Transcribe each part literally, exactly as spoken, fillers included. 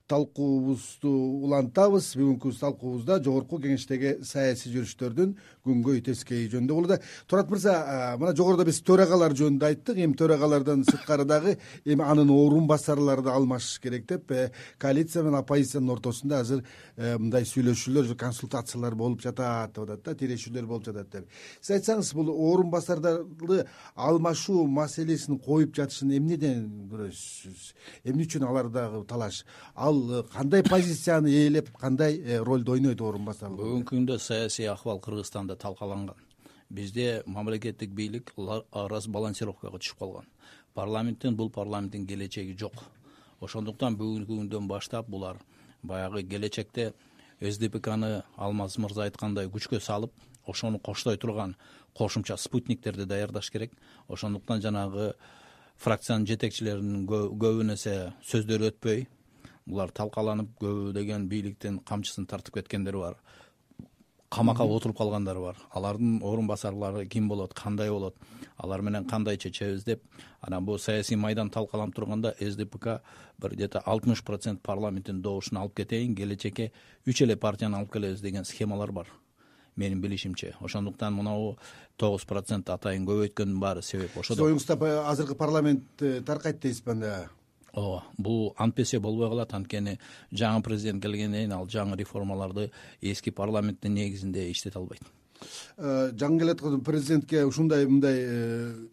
талкуубузду улантабыз. Бүгүнкү талкуубузда жогорку кеңештеги саясий жүрүштөрдүн күнгөй тескейи жөнүндө болууда. Турат мырза, мына жогоруда биз төрагалар жөнүндө айттык. Эми төрагалардан сырткары дагы эми анын орун басарлары да алмашыш керек деп коалиция менен оппозициянын ортосунда азыр мындай сүйлөшүүлөр, консультациялар болуп жатат деп атат да, тирешүүлөр болуп жатат деп. Сиз айтсаңыз, бул орун басарларды алмашуу маселесин коюп жатышын эмнеден көрөсүз? Эмне үчүн алардагы талаш? Ал кандай позицияны ээлеп, кандай ролду ойнойт орун басарлар? Бүгүнкү күндө саясий акыбал Кыргызстанда талкаланган. Бизде мамлекеттик бийлик разбалансировкага түшүп калган. Парламенттин бул парламенттин келечеги жок. Ошондуктан бүгүнкү күндөн баштап булар баягы келечекте эс ди пи каны Алмаз мырза айткандай күчкө салып, ошону коштой турган кошумча спутниктерди даярдаш керек. Ошондуктан жанагы фракциянын жетекчилеринин көбүн эсе сөздөрү өтпөй, булар талкаланып, көбү деген бийликтин камчысын тартып кеткендер бар. Камакка отуруп калгандар бар. Алардын орун басарлары ким болот, кандай болот, алар менен кандай чечебиз деп, анан бул саясий майдан талкаланып турганда эс ди пи ка бир где-то алтымыш процент парламенттин добушун алып кетейин, келечекке үч эле партияны алып келебиз деген схемалар бар, менин билишимче. Ошондуктан мынау тогуз процент атайын көбөйткөндүн баары себеп ошодо. Сиз оюңузда азыркы парламент таркайт дейсизби анда? Ооба, бул антпесе болбой калат. Анткени жаңы президент келгенден кийин ал жаңы реформаларды эски парламенттин негизинде иштете албайт. Жаңы келаткан президентке ушундай мындай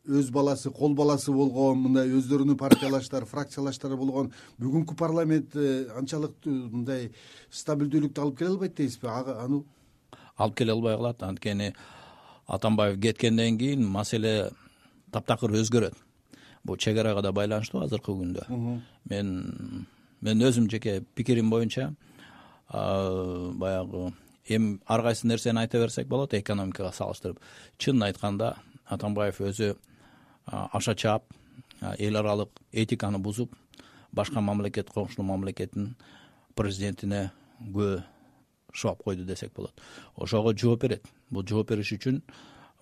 өз баласы, кол баласы болгон, мындай өздөрүнүн партиялаштары, фракциялаштары болгон бүгүнкү парламент анчалык мындай стабилдүүлүктү алып келе албайт дейсизби? Аны алып келе албай калат. Анткени Атамбаев кеткенден кийин маселе таптакыр өзгөрөт. Бул чек арага да байланыштуу азыркы күндө. Мен мен өзүм жеке пикирим боюнча баягы эми ар кайсы нерсени айта берсек болот экономикага салыштырып. Чынын айтканда Атамбаев өзү аша чаап, эл аралык этиканы бузуп, башка мамлекет, коңшу мамлекеттин президентине күбө шоап койду десек болот. Ошого жооп берет. Бул жооп бериш үчүн,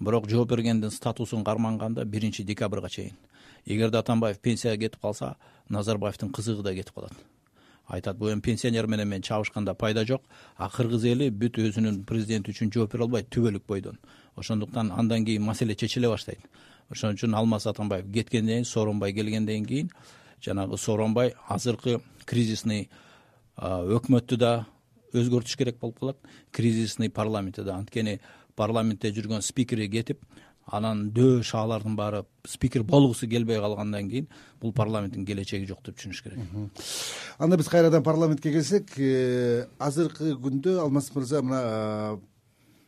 бирок жооп бергендин статусун карманганда биринчи декабрга чейин. Эгерде Атамбаев пенсияга кетип калса, Назарбаевдин кызыгы да кетип калат. Айтат, бул эми пенсионер менен мен чабышканда пайда жок, а кыргыз эли бүт өзүнүн президенти үчүн жооп бере албайт түбөлүк бойдон. Ошондуктан андан кийин маселе чечиле баштайт. Ошон үчүн Алмаз Атамбаев кеткенден кийин, Сооронбай келгенден кийин, жанагы Сооронбай азыркы кризисный өкмөттү да өзгөртүш керек болуп калат, кризисный парламентти да. Анткени парламентте жүргөн спикери кетип, анан дөө шаалардын баары спикер болгусу келбей калгандан кийин бул парламенттин келечеги жок деп түшүнүш керек. Анда биз кайрадан парламентке келсек, азыркы күндө Алмаз мырза, мына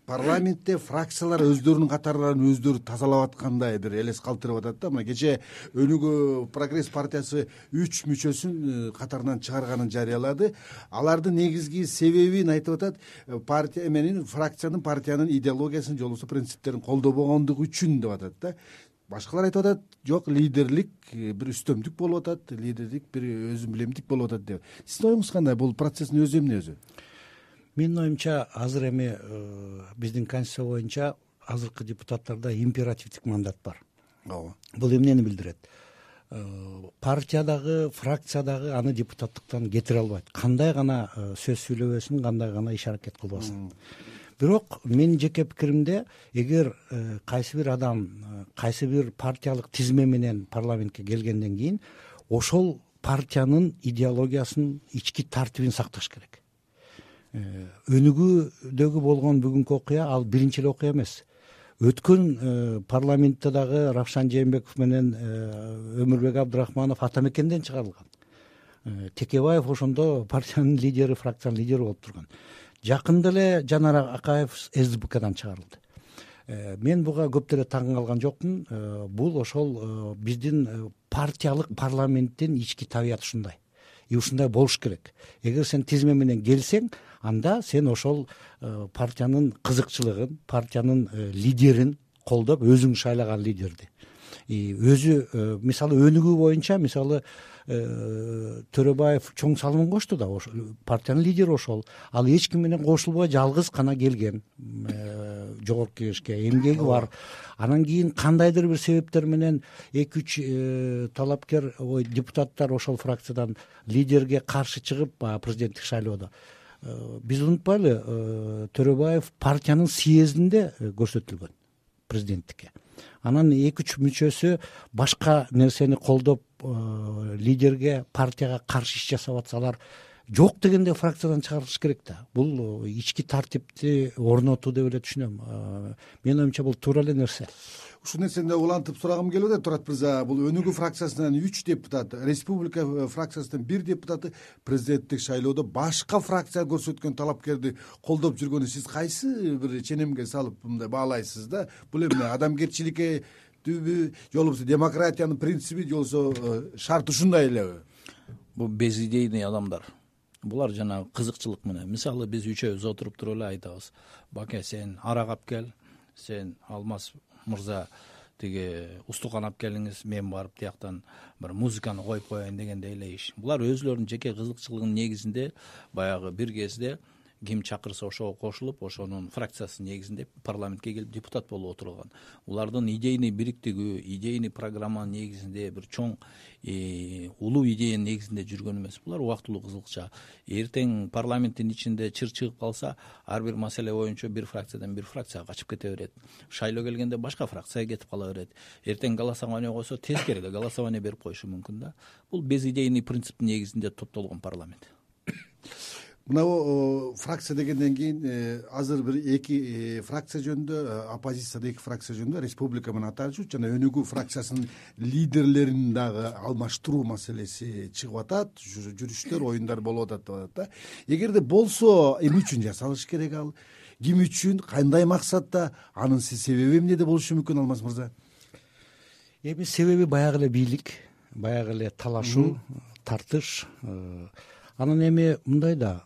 парламентте фракциялар өздөрүнүн катарларын өздөрү тазалап аткандай бир элес калтырып атат да. Мына кече Өнүгүү Прогресс партиясы үч мүчөсүн катарынан чыгарганын жарыялады. Алардын негизги себебин айтып атат, партия менен фракциянын, партиянын идеологиясын, же болбосо принциптерин колдобогондугу үчүн деп атат да. Башкалар айтып атат, жок, лидерлик бир үстөмдүк болуп атат, лидерлик бир өзүн билемдик болуп атат деп. Сиздин оюңуз кандай? Бул процесстин өзү эмне өзү? Менин оюмча, азыр эми биздин конституция боюнча азыркы депутаттарда императивдик мандат бар. Ооба. Бул эмнени билдирет? Партиядагы, фракциядагы аны депутаттыктан кетире албайт. Кандай гана сөз сүйлөбөсүн, кандай гана иш аракет кылбасын. Бирок менин жеке пикиримде, эгер кайсы бир адам кайсы бир партиялык тизме менен парламентке келгенден кийин, ошол партиянын идеологиясын, ички тартибин сакташ керек. Өнүгүүдөгү болгон бүгүнкү окуя ал биринчи эле окуя эмес. Өткөн парламентте дагы Равшан Жээнбеков менен Өмүрбек Абдрахманов Атамекенден чыгарылган. Текебаев ошондо партиянын лидери, фракциянын лидери болуп турган. Жакында эле Жанар Акаев эс ди пи кадан чыгарылды. Мен буга көп деле таң калган жокмун. Бул ошол биздин партиялык парламенттин ички табияты ушундай. И ушундай болуш керек. Эгер сен тизме менен келсең, анда сен ошол партиянын кызыкчылыгын, партиянын лидерин колдоп, өзүң шайлаган лидерди. И өзү, мисалы, өнүгүү боюнча, мисалы, Төрөбаев чоң салымын кошту да, партиянын лидери ошол. Ал эч ким менен кошулбой жалгыз гана келген. жогорку кеңешке эмгеги бар. Анан кийин кандайдыр бир себептер менен эки үч талапкер ой депутаттар ошол фракциядан лидерге каршы чыгып президенттик шайлоодо биз унутпайлы, Төрөбаев партиянын съездинде көрсөтүлгөн президенттикке. Анан эки үч мүчөсү башка нерсени колдоп лидерге, партияга каршы иш жасап атсалар жок дегенде фракциядан чыгарыш керек да. Бул ички тартипти орнотуу деп эле түшүнөм. Менин оюмча бул туура эле нерсе. Ушул нерсени улантып сурагым келип атат, Турат мырза. Бул Өнүгүү фракциясынан үч депутат, Республика фракциясынан бир депутаты президенттик шайлоодо башка фракция көрсөткөн талапкерди колдоп жүргөнү сиз кайсы бир ченемге салып мындай баалайсыз да? Бул эмне адамгерчиликке түбү, же болбосо демократиянын принциби, же болбосо шарт ушундай элеби? Бул безидейный адамдар. Булар жана кызыкчылык менен. Мисалы биз үчөөбүз отуруп туруп эле айтабыз: Баке, сен арак алып кел, сен Алмаз мырза тиги устукан алып келиңиз, мен барып тияктан бир музыканы коюп коеюн дегендей эле иш. Булар өзүлөрүнүн жеке кызыкчылыгынын негизинде баягы бир кезде ким чакырса ошого кошулуп, ошонун фракциясынын негизинде парламентке келип депутат болуп отурган. Улардын идейный бириктиги, идейный программанын негизинде бир чоң улуу идеянын негизинде жүргөн эмес. Булар убактылуу кызыкча. Эртең парламенттин ичинде чыр чыгып калса, ар бир маселе боюнча бир фракциядан бир фракцияга качып кете берет. Шайлоо келгенде башка фракцияга кетип кала берет. Эртең голосование койсо, тескери эле голосование берип коюшу мүмкүн да. Бул безидейный принциптин негизинде топтолгон парламент. Мына фракция дегенден кийин азыр бир эки фракция жөнүндө, оппозицияда эки фракция жөнүндө Республика менен Атачу жана Өнүгүү фракциясынын лидерлерин дагы алмаштыруу маселеси чыгып атат, жүрүштөр, оюндар болуп атат деп атат да. Эгерде болсо, эмне үчүн жасалыш керек ал? Ким үчүн, кандай максатта? Анын себеби эмнеде болушу мүмкүн, Алмаз мырза? Эми себеби баягы эле бийлик, баягы эле талашуу, тартыш. Анан эми мындай да,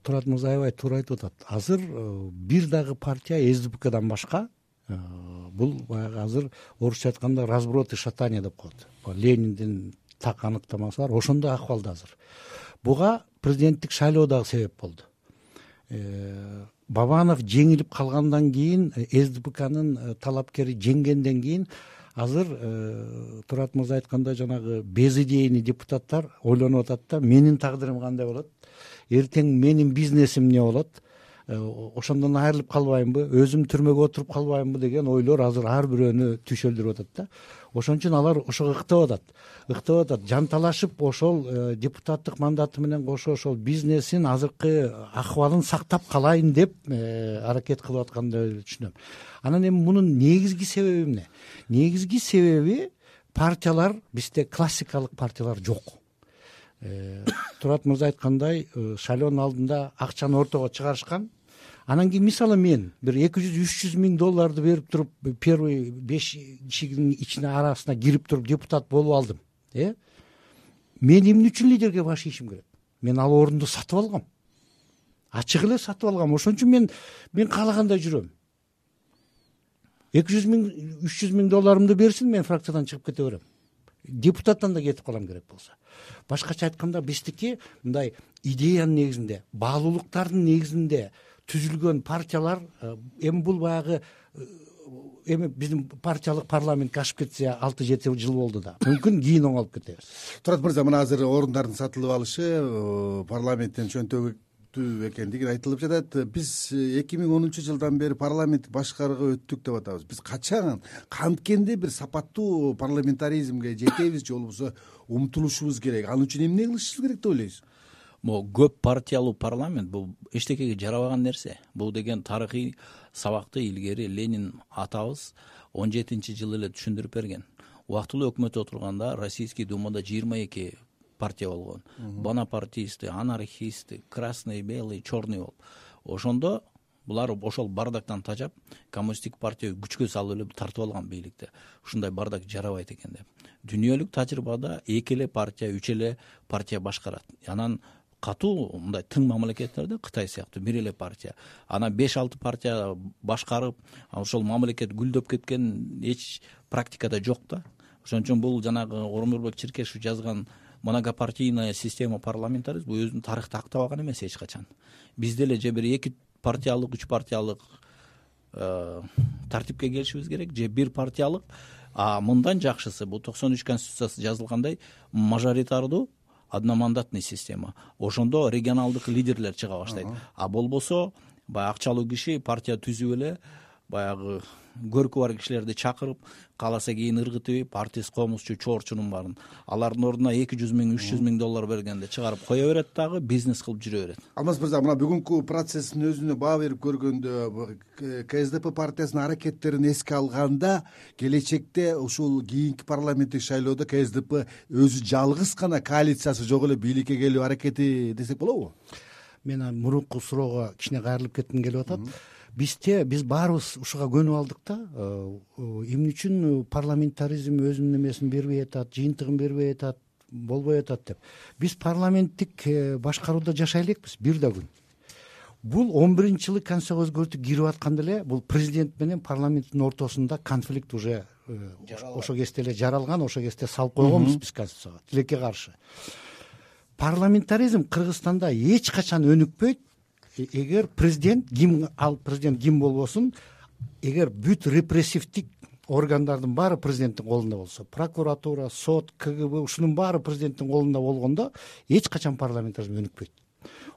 Турат мырза аябай туура айтып атат. Азыр бир дагы партия СДПКдан башка, бул баягы азыр орусча айтканда разброд и шатание деп коет. Лениндин так аныктамасы бар, ошондой акыбалда азыр. Буга президенттик шайлоо дагы себеп болду. Бабанов жеңилип калгандан кийин, СДПКнын талапкери жеңгенден кийин азыр Турат мырза айткандай жанагы безидейный депутаттар ойлонуп атат да, менин тагдырым кандай болот, эртең менин бизнесим эмне болот, ошондон айрылып калбаймбы, өзүм түрмөгө отуруп калбаймбы деген ойлор азыр ар бирөөнү түшөлдүрүп атат да. Ошон үчүн алар ошого ыктап атат, ыктап атат, жанталашып ошол депутаттык мандаты менен кошо ошол бизнесин азыркы акыбалын сактап калайын деп аракет кылып аткандай түшүнөм. Анан эми мунун негизги себеби эмне? Негизги себеби партиялар, бизде классикалык партиялар жок. Турат мырза айткандай, шайлоонун алдында акчаны ортого чыгарышкан. Анан кийин мисалы мен бир эки жүз үч жүз миң долларды берип туруп, первый беш кишинин ичине арасына кирип туруп депутат болуп алдым. Э? Мен эмне үчүн лидерге баш ийишим керек? Мен ал орунду сатып алгам. Ачык эле сатып алгам. Ошон үчүн мен мен каалагандай жүрөм. эки жүз миң, үч жүз миң долларымды берсин, мен фракциядан чыгып кете берем. Депутаттан да кетип калам керек болсо. Башкача айтканда, биздики мындай идеянын негизинде, баалуулуктардын негизинде түзүлгөн партиялар, эми бул баягы эми биздин партиялык парламентке ашып кетсе алты жети жыл болду да. Мүмкүн кийин оңолуп кетебиз. Турат мырза, мына азыр орундардын сатылып алышы парламенттен чөнтөгү экендиги айтылып жатат. Биз эки миң онунчу жылдан бери парламент башкарууга өттүк деп атабыз. Биз качан, канткенде бир сапаттуу парламентаризмге жетебиз, же болбосо умтулушубуз керек? Ал үчүн эмне кылышыбыз керек деп ойлойсуз? Могу көп партиялуу парламент бул эчтекеге жарабаган нерсе. Бул деген тарыхый сабакты илгери Ленин атабыз он жетинчи жылы эле түшүндүрүп берген. Убактылуу өкмөт отурганда Российский думада жыйырма эки партия болгон. Бонапартисты, анархисты, красный, белый, черный болуп. Ошондо булар ошол бардактан тажап, коммунисттик партия күчкө салып эле тартып алган бийликти. Ушундай бардак жарабайт экен деп. Дүйнөлүк тажрыйбада эки эле партия, үч эле партия башкарат. Анан катуу мындай тың мамлекеттерде Кытай сыяктуу бир эле партия. Анан беш алты партия башкарып, ошол мамлекет гүлдөп кеткен эч практикада жок да. Ошон үчүн бул жанагы Ормурбек Черкешев жазган многопартийная система парламентаризм бул өзүнүн тарыхта актабаган эмес эч качан. Бизде эле же бир эки партиялык, үч партиялык тартипке келишибиз керек, же бир партиялык. А мындан жакшысы, бул токсон үч конституциясы жазылгандай мажоритардуу одномандатный система. Ошондо регионалдык лидерлер чыга баштайт. А болбосо баягы акчалуу киши партия түзүп эле баягы көркү бар кишилерди чакырып, кааласа кийин ыргытып, артист, комузчу, чоорчунун баарын алардын ордуна эки жүз миң үч жүз миң доллар бергенде чыгарып кое берет, дагы бизнес кылып жүрө берет. Алмаз мырза, мына бүгүнкү процесстин өзүнө баа берип көргөндө КСДП партиясынын аракеттерин эске алганда, келечекте ушул кийинки парламенттик шайлоодо КСДП өзү жалгыз гана, коалициясы жок эле бийликке келүү аракети десек болобу? Мен мурунку суроого кичине кайрылып кетким келип атат. Бизде биз баарыбыз ушуга көнүп алдык да, эмне үчүн парламентаризм өзүнүн эмесин бербей атат, жыйынтыгын бербей атат, болбой атат деп. Биз парламенттик башкарууда жашай элекпиз бир да күн. Бул он биринчи жылы конституцияга өзгөртүү кирип атканда эле бул президент менен парламенттин ортосунда конфликт уже ошо кезде эле жаралган, ошо кезде салып койгонбуз биз конституцияга, тилекке каршы. Парламентаризм Кыргызстанда эч качан өнүкпөйт. Эгер президент ким ал президент ким болбосун, эгер бүт репрессивдик органдардын баары президенттин колунда болсо, прокуратура, сот, КГБ ушунун баары президенттин колунда болгондо эч качан парламентаризм өнүкпөйт.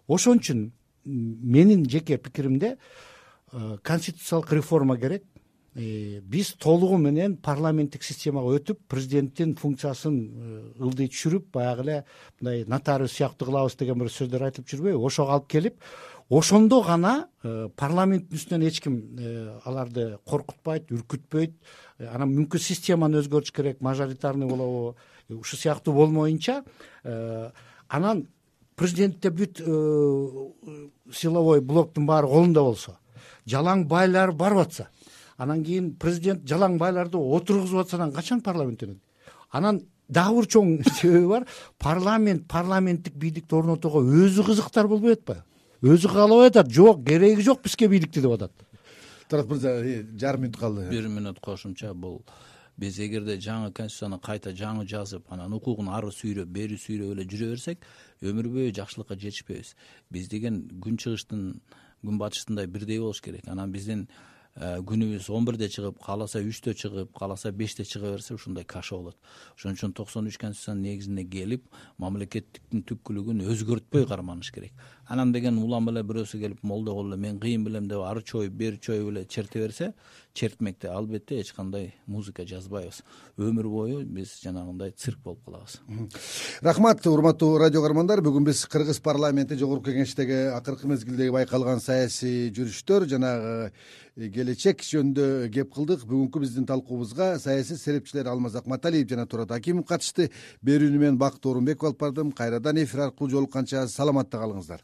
Ошон үчүн менин жеке пикиримде конституциялык реформа керек. Биз толугу менен парламенттик системага өтүп, президенттин функциясын ылдый түшүрүп, баягы эле мындай нотариус сыяктуу кылабыз деген бир сөздөр айтылып жүрбөйбү? Ошого алып келип, ошондо гана парламенттин үстүнөн эч ким аларды коркутпайт, үркүтпөйт. Анан мүмкүн системаны өзгөртүш керек, мажоритарный болобу, ушу сыяктуу болмоюнча, анан президентте бүт силовой блоктун баары колунда болсо, жалаң байлар барып атса, анан кийин президент жалаң байларды отургузуп атса, анан качан парламент өнөт? Анан дагы бир чоң себеби бар. Парламент, парламенттик бийликти орнотууга өзү кызыктар болбой атпайбы? Өзү каалабай атат, жок, кереги жок бизге бийликти деп атат. Тарат мырза, жарым мүнөт калды. Бир мүнөт кошумча, бул биз эгерде жаңы конституцияны кайта жаңы жазып, анан укугун ары сүйрөп, бери сүйрөп эле жүрө берсек, өмүр бою жакшылыкка жетишпейбиз. Биз деген күн чыгыштын, күн батыштындай бирдей болуш керек. Анан биздин күнүбүз он бирде чыгып, кааласа үчтө чыгып, кааласа беште чыга берсе, ушундай каша болот. Ошон үчүн токсон үч конституциянын негизине келип, мамлекеттиктин түпкүлүгүн өзгөртпөй карманыш керек. Анан деген улам эле бирөөсү келип, молдо кылып эле мен кыйын билем деп ары чоюп, бери чоюп эле черте берсе, чертмекте албетте эч кандай музыка жазбайбыз. Өмүр бою биз жанагындай цирк болуп калабыз. Рахмат, урматтуу радио көрөрмандар. Бүгүн биз Кыргыз парламенти Жогорку Кеңештеги акыркы мезгилдеги байкалган саясий жүрүштөр жана келечек жөнүндө кеп кылдык. Бүгүнкү биздин талкуубузга саясий серепчилер Алмаз Акматалиев жана Турат Акимов катышты. Берүүнү мен Бакыт Орунбеков алып бардым. Кайрадан эфир аркылуу жолукканча саламатта калыңыздар.